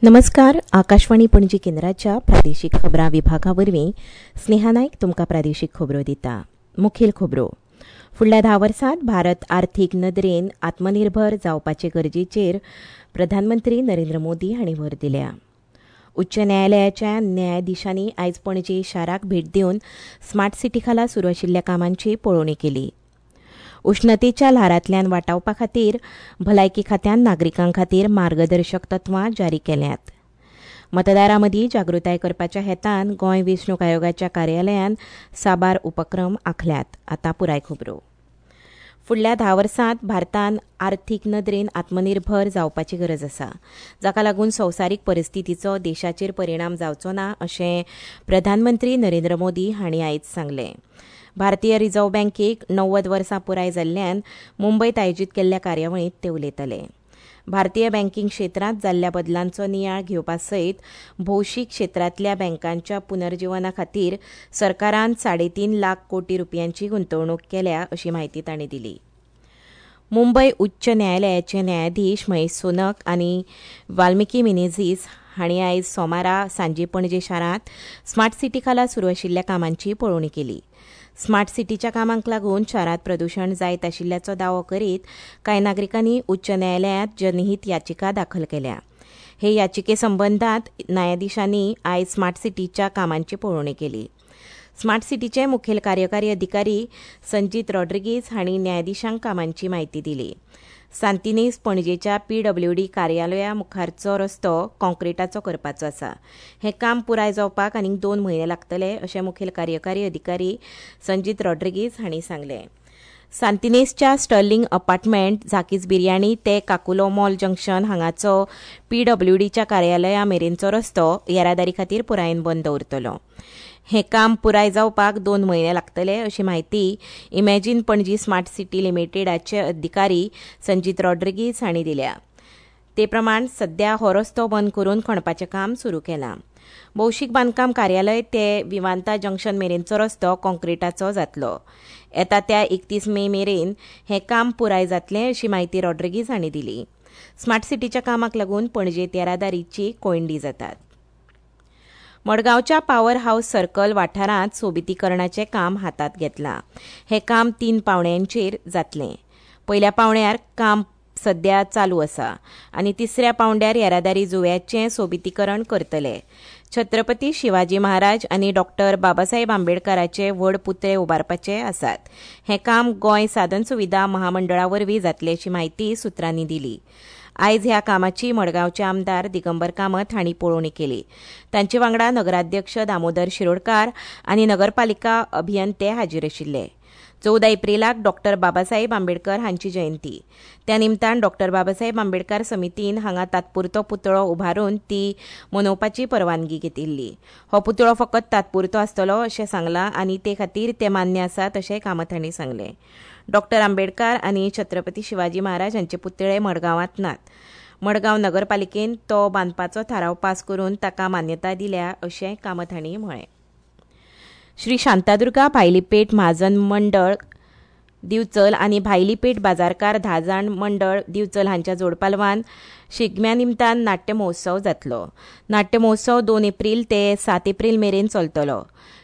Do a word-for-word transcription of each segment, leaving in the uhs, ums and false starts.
नमस्कार. आकाशवाणी पणजी केंद्राच्या प्रादेशिक खबरां विभागा वरवीं स्नेहा नायक तुमकां प्रादेशिक खबरो दिता. मुखेल खबरो. फुडल्या धा वर्सांत भारत आर्थीक नदरेन आत्मनिर्भर जावपाचे गरजेचेर प्रधानमंत्री नरेंद्र मोदी हांणी भर दिल्या. उच्च न्यायालयाच्या न्यायाधिशांनी आयज पणजे शाराक भेट दिवन स्मार्ट सिटी खाला सुरू आशिल्ल्या कामांची पळोवणी केली. उष्णतेच्या ल्हारांतल्यान वाटावपा खातीर भलायकी खात्यान नागरिकां खातीर मार्गदर्शक तत्वां जारी केल्यात. मतदारां मदीं जागृताय करपाच्या हेतान गोंय वेंचणूक आयोगाच्या कार्यालयान साबार उपक्रम आंखल्यात. आतां पुराय खबरो. फुडल्या धा वर्सांत भारतान आर्थीक नदरेन आत्मनिर्भर जावपाची गरज आसा, जाका लागून संवसारीक परिस्थितीचो देशाचेर परिणाम जावचो ना अशें प्रधानमंत्री नरेंद्र मोदी हांणी आयज सांगलें. भारतीय रिझर्व्ह बँकेक णव्वद वर्सां पुराय जाल्ल्यान मुंबयत आयोजीत केल्ल्या कार्यावळींत ते उलयताले. भारतीय बँकिंग क्षेत्रांत जाल्ल्या बदलांचो नियाळ घेवपा सयत भौशीक क्षेत्रांतल्या बँकांच्या पुनर्जिवना खातीर सरकारान साडेतीन लाख कोटी रुपयांची गुंतवणूक केल्या अशी म्हायती तांणी दिली. मुंबय उच्च न्यायालयाचे न्यायाधीश महेश सोनक आनी वाल्मिकी मिनेझीस हांणी आयज सोमारा सांजे पणजे शारांत स्मार्ट सिटी खाला सुरू आशिल्ल्या कामांची पळोवणी केली. स्मार्ट सिटीच्या कामांक लागून शारांत प्रदूशण जायत आशिल्ल्याचो दावो करीत कांय नागरिकांनी उच्च न्यायालयांत जनहीत याचिका दाखल केल्या. हे याचिके संबंदांत न्यायाधिशांनी आयज स्मार्ट सिटीच्या कामांची पळोवणी केली. स्मार्ट सिटीचे मुखेल कार्यकारी अधिकारी संजीत रॉड्रिगीज हांणी न्यायाधिशांक कामांची म्हायती दिली. सांतिनेज पणजेच्या पीडब्ल्यूडी कार्यालया मुखारचो रस्तो कॉंक्रिटाचो करपाचो आसा. हें काम पुराय जावपाक आनीक दोन म्हयने लागतले अशें मुखेल कार्यकारी अधिकारी संजीत रॉड्रिगीज हांणी सांगलें. सांतिनेजच्या स्टर्लिंग अपार्टमेंट, झाकीज बिर्याणी ते काकुलो मॉल जंक्शन हांगाचो पीडब्ल्यूडीच्या कार्यालया मेरेनचो रस्तो येरादारी खातीर पुरायेन बंद उरतलो. हें काम पुराय जावपाक दोन म्हयने लागतले अशी म्हायती इमॅजिन पणजी स्मार्ट सिटी लिमिटेडाचे अधिकारी संजीत रॉड्रिगीज हांणी दिल्या. ते प्रमाण सध्या हो रस्तो बंद करून खणपाचें काम सुरू केलां. भौशीक बांदकाम कार्यालय ते विमानता जंक्शन मेरेनचो रस्तो कॉंक्रिटाचो जातलो. येता त्या एकतीस मे मेरेन हें काम पुराय जातलें अशी म्हायती रॉड्रिगीज हांणी दिली. स्मार्ट सिटीच्या कामाक लागून पणजेंत येरादारीची कोयंडी जातात. मडगांवच्या पॉवर हावस सर्कल वाठारांत सोबितीकरणाचें काम हातांत घेतलां. हें काम तीन पावंड्यांचेर जातलें. पयल्या पावंड्यार काम सध्या चालू आसा आनी तिसऱ्या पावंड्यार येरादारी जुव्याचें सोबितीकरण करतले. छत्रपती शिवाजी महाराज आनी डॉक्टर बाबासाहेब आंबेडकराचे व्हड पुतळे उबारपाचे आसात. हें काम गोंय साधन सुविधा महामंडळा वरवीं जातलें अशी म्हायती सुत्रांनी दिली. आयज ह्या कामाची मडगांवचे आमदार दिगंबर कामत हांणी पळोवणी केली. तांचे वांगडा नगराध्यक्ष दामोदर शिरोडकार आनी नगरपालिका अभियंते हाजीर आशिल्ले. चवदा एप्रिलाक डॉक्टर बाबासाहेब आंबेडकर हांची जयंती. त्या निमतान डॉक्टर बाबासाहेब आंबेडकर समितीन हांगा तात्पुरतो पुतळो उबारून ती मनोवपाची परवानगी घेतिल्ली. हो पुतळो फकत तात्पुरतो आसतलो अशें सांगलां आनी ते खातीर ते मान्य आसात अशें कामत हांणी सांगलें. डॉक्टर आंबेडकर आनी छत्रपती शिवाजी महाराज हांचे पुतळे मडगांवांत नात. मडगांव नगरपालिकेन तो बांदपाचो थाराव पास करून ताका मान्यताय दिल्या अशें कामत हांणी म्हळें. श्री शांतादुर्गा भायलीपेठ म्हाजन मंडळ दिवचल आनी भायलीपेठ बाजारकार धा जाण मंडळ दिवचल हांच्या जोडपालवान शिगम्या निमतान नाट्य महोत्सव जातलो. नाट्य महोत्सव दोन एप्रील ते सात एप्रील मेरेन चलतलो.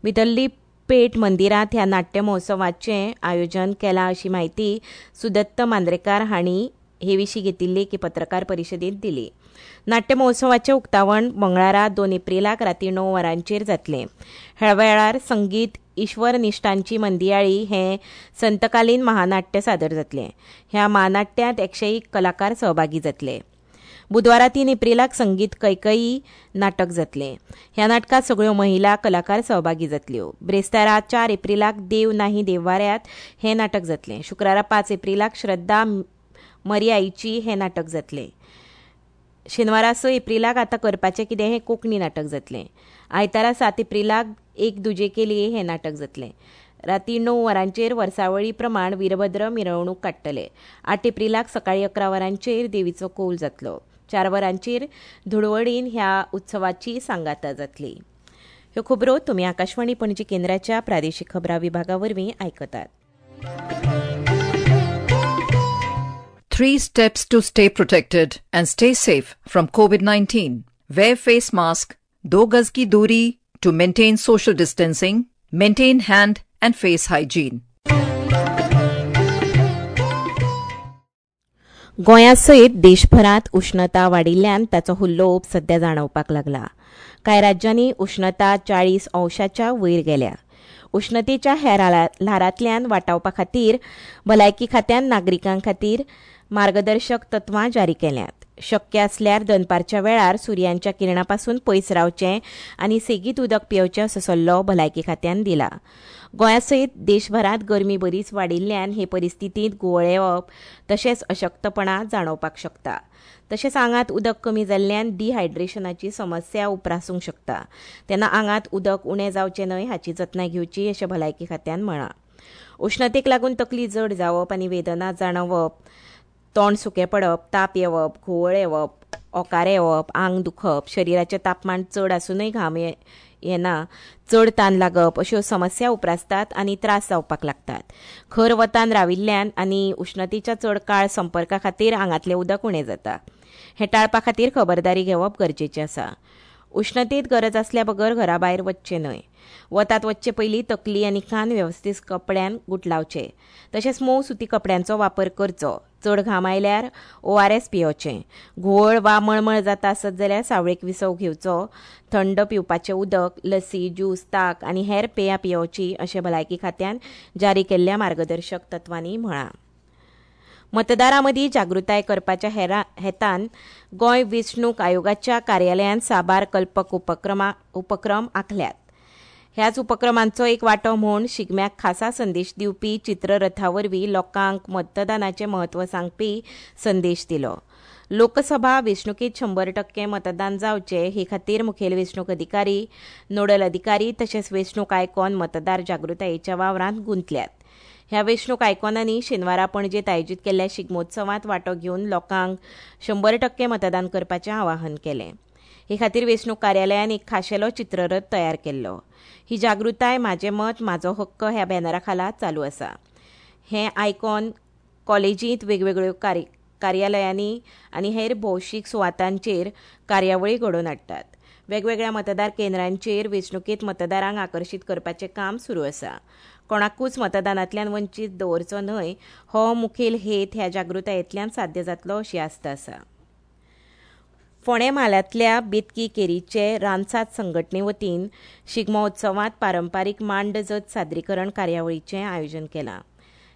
भितरली पेठ मंदिरांत ह्या नाट्य महोत्सवाचें आयोजन केलां अशी म्हायती सुदत्त मांद्रेकार हांणी हे विशीं घेतिल्ली एके पत्रकार परिशदेंत दिली. नाट्य महोत्सवाचें उक्तावण मंगळारा दोन एप्रिलाक राती णव वरांचेर जातलें. ह्या वेळार संगीत ईश्वरनिश्ठांची मंदियाळी हें संतकालीन महानाट्य सादर जातलें. ह्या महानाट्यांत एकशे एक कलाकार सहभागी जातले. बुधवारा तीन एप्रिलाक संगीत कैकयी नाटक जातलें. ह्या नाटकांत सगळ्यो महिला कलाकार सहभागी जातल्यो. ब्रेस्तारा चार एप्रिलाक देव नाही देववाऱ्यात हें नाटक जातलें. शुक्रारा पांच एप्रिलाक श्रद्धा मरियाईची हें नाटक जातलें. शेनवारा स एप्रिलाक आतां करपाचें कितें हें कोंकणी नाटक जातलें. आयतारा सात एप्रिलाक एक दुजे के लिए हें नाटक जातलें. राती णव वरांचेर वर्सावळी प्रमाण वीरभद्र मिरवणूक काडटले. आठ एप्रिलाक सकाळीं अकरा वरांचेर देवीचो कौल जातलो. चार वरांचेर धुळवडीन ह्या उत्सवाची सांगाता जातली. ह्यो खबरो तुमी आकाशवाणी पणजी केंद्राच्या प्रादेशीक खबरां विभागा वरवीं आयकतात. Three steps to stay protected and stay safe from COVID nineteen. Wear face mask, दो गज की दूरी to maintain social distancing, maintain hand and face hygiene. गोंया सयत देशभरांत उष्णता वाडिल्ल्यान ताचो हुल्लोप सध्या जाणवपाक लागला. कांय राज्यांनी उष्णता चाळीस अंशाच्या वयर गेल्या. उष्णतेच्या ह्या ल्हारांतल्यान वाटावपा खातीर भलायकी खात्यान नागरिकां खातीर मार्गदर्शक तत्वां जारी केल्यांत. शक्य आसल्यार दनपारच्या वेळार सुर्यांच्या किरणां पासून पयस रावचें आनी सेगीत उदक पियेवचें असो सल्लो भलायकी खात्यान दिला. गोंया सयत देशभरांत गरमी बरीच वाडिल्ल्यान हे परिस्थितींत घुंवळ येवप तशेंच अशक्तपणा जाणवपाक शकता. तशेंच आंगांत उदक कमी जाल्ल्यान डिहायड्रेशनाची समस्या उप्रासूंक शकता. तेन्ना आंगांत उदक उणें जावचें न्हय हाची जतनाय घेवची अशें भलायकी खात्यान म्हळां. उष्णतेक लागून तकली जड जावप आनी वेदना जाणवप, तोंड सुकें पडप, ताप येवप, घुंवळ येवप, ओंकारे येवप, आंग दुखप, शरिराचें तापमान चड आसूनय घाम येना, चड तान लागप अश्यो समस्या उप्रासतात आनी त्रास जावपाक लागतात. खर वतान राविल्ल्यान आनी उष्णतेच्या चड काळ संपर्का खातीर आंगांतलें उदक उणें जाता. हें टाळपा खातीर खबरदारी घेवप गरजेचें आसा. उष्णतेंत गरज आसल्या बगर घरा भायर वचचें न्हय. वतांत वचचे पयलीं तकली आनी कान वेवस्थीत कपड्यान गुटलावचे. तशेंच मोव सुती कपड्यांचो वापर करचो. चड घाम आयल्यार ओ आर एस पियोवचें. घुंवळ वा मळमळ जाता आसत जाल्यार सावळेक विसव घेवचो. थंड पिवपाचें उदक, लसी, ज्यूस, ताक आनी हेर पेयां पियोवची अशें भलायकी खात्यान जारी केल्ल्या मार्गदर्शक तत्वांनी म्हळां. मतदारां मदीं जागृताय करपाच्या हेतान गोंय वेंचणूक आयोगाच्या कार्यालयान साबार कल्पक उपक्रमा उपक्रम आंखल्यात. ह्याच उपक्रमांचो एक वांटो म्हूण शिगम्याक खासा संदेश दिवपी चित्ररथा वरवीं लोकांक मतदानाचें म्हत्व सांगपी संदेश दिलो. लोकसभा वेंचणुकेंत शंबर टक्के मतदान जावचें हे खातीर मुखेल वेंचणूक अधिकारी, नोडल अधिकारी तशेंच वेंचणूक आयकॉन मतदार जागृतायेच्या वावरांत गुंतल्यात. ह्या वेंचणूक आयकॉनांनी शेनवारा पणजेंत आयोजीत केल्ल्या शिगमोत्सवांत वांटो घेवन लोकांक शंबर टक्के मतदान करपाचें आवाहन केलें. हे खातीर वेंचणूक कार्यालयान एक खाशेलो चित्ररथ तयार केल्लो. ही जागृताय म्हाजें मत म्हाजो हक्क ह्या बॅनरा खाला चालू आसा. हें आयकॉन कॉलेजींत, वेगवेगळ्यो कार्यालयांनी आनी हेर भौशीक सुवातांचेर कार्यावळी घडोवन हाडटात. वेगवेगळ्या मतदार केंद्रांचेर वेंचणुकेंत मतदारांक आकर्शीत करपाचें काम सुरू आसा. कोणाकूच मतदानांतल्यान वंचीत दवरचो न्हय हो मुखेल हेत ह्या जागृतायेंतल्यान साध्य जातलो अशी आस्त आसा. फोंडें म्हालांतल्या बेतकी केरीचे रानसात संघटने वतीन शिगमोत्सवांत पारंपारीक मांड जत सादरीकरण कार्यावळीचें आयोजन केलां.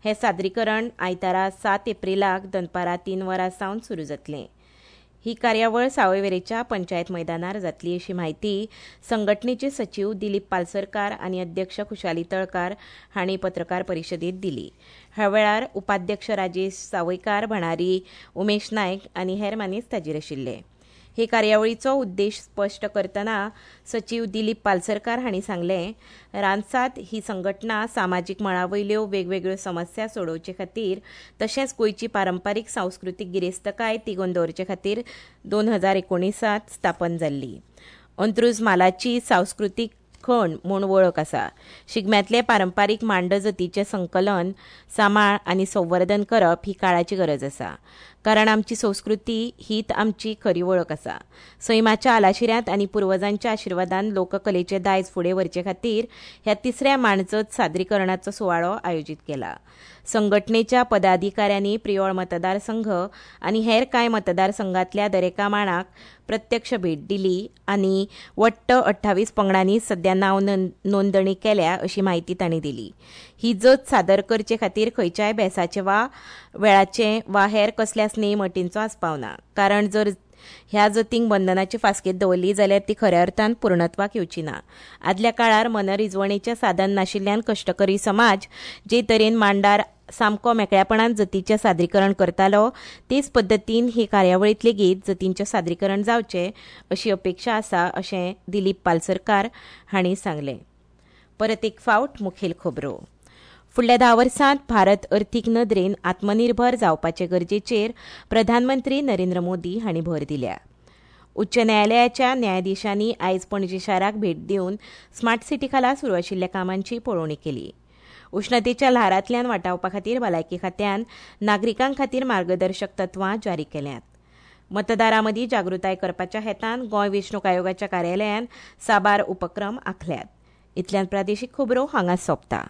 हें सादरीकरण आयतारा सात एप्रिलाक दनपारां तीन वरां सावन सुरू जातलें. ही कार्यावळ सावयवेरेच्या पंचायत मैदानार जातली अशी म्हायती संघटनेचे सचीव दिलीप पालसरकार आनी अध्यक्ष खुशाली तळकार हांणी पत्रकार परिशदेंत दिली. ह्या वेळार उपाध्यक्ष राजेश सावयकार, भणारी उमेश नायक आनी हेर मानेस्त हाजीर आशिल्ले. हे कार्यावळीचो उद्देश स्पश्ट करतना सचीव दिलीप पालसरकार हांणी सांगलें, रानसात ही संघटना सामाजीक मळा वयल्यो वेगवेगळ्यो समस्या सोडोवचे खातीर तशेंच गोंयची पारंपारीक सांस्कृतीक गिरेस्तकाय तिगोवन दवरचे खातीर दोन हजार एकोणिसांत स्थापन जाल्ली. अंत्रुज म्हालाची सांस्कृतीक खण म्हूण वळख आसा. शिगम्यांतले पारंपारीक मांडजतीचें संकलन, सांबाळ आनी संवर्धन करप ही काळाची गरज आसा. कारण आमची संस्कृती हीच आमची खरी वळख आसा. सैमाच्या आलाशिऱ्यांत आनी पुर्वजांच्या आशिर्वादान लोककलेचें दायज फुडें व्हरचे खातीर ह्या तिसऱ्या मांडजत सादरीकरणाचो सुवाळो आयोजीत केला. संघटनेच्या पदाधिकाऱ्यांनी प्रियोळ मतदारसंघ आनी हेर कांय मतदारसंघांतल्या दरेका माणाक प्रत्यक्ष भेट दिली आनी वट्ट अठ्ठावीस पंगडांनी सध्या नांव नोंदणी केल्या अशी म्हायती तांणी दिली. ही जत सादर करचे खातीर खंयच्याय बेसाचे वा वेळाचे वा हेर कसल्याच नेम अटींचो आस्पाव ना. कारण जर ह्या जतींक बंधनाची फास्केत दवरली जाल्यार ती खऱ्या अर्थान पूर्णत्वाक येवची ना. आदल्या काळार मनरिजवणेचें साधन नाशिल्ल्यान कश्टकरी समाज जे तरेन मांडार सामको मेकळ्यापणान जतीचें सादरीकरण करतालो तेच पद्दतीन ही कार्यावळींत लेगीत जतींचें सादरीकरण जावचें अशी अपेक्षा आसा अशें दिलीप पालसरकार हांणी सांगलें. परत एक फावट मुखेल खबरो. फुडल्या धा वर्सांत भारत अर्थीक नदरेन आत्मनिर्भर जावपाचे गरजेचेर प्रधानमंत्री नरेंद्र मोदी हांणी भर दिल्या. उच्च न्यायालयाच्या न्यायाधीशांनी आयज पणजी शाराक भेट दिवन स्मार्ट सिटी खाला सुरू आशिल्ल्या कामांची पळोवणी केली. उष्णतेच्या ल्हारांतल्यान वाटावपा खातीर भलायकी खात्यान नागरिकां खातीर मार्गदर्शक तत्वां जारी केल्यांत. मतदारां मदीं जागृताय करपाच्या हेतान गोंय वेंचणूक आयोगाच्या कार्यालयान साबार उपक्रम आंखल्यात. इतल्यान प्रादेशीक खबरो हांगा सोंपता.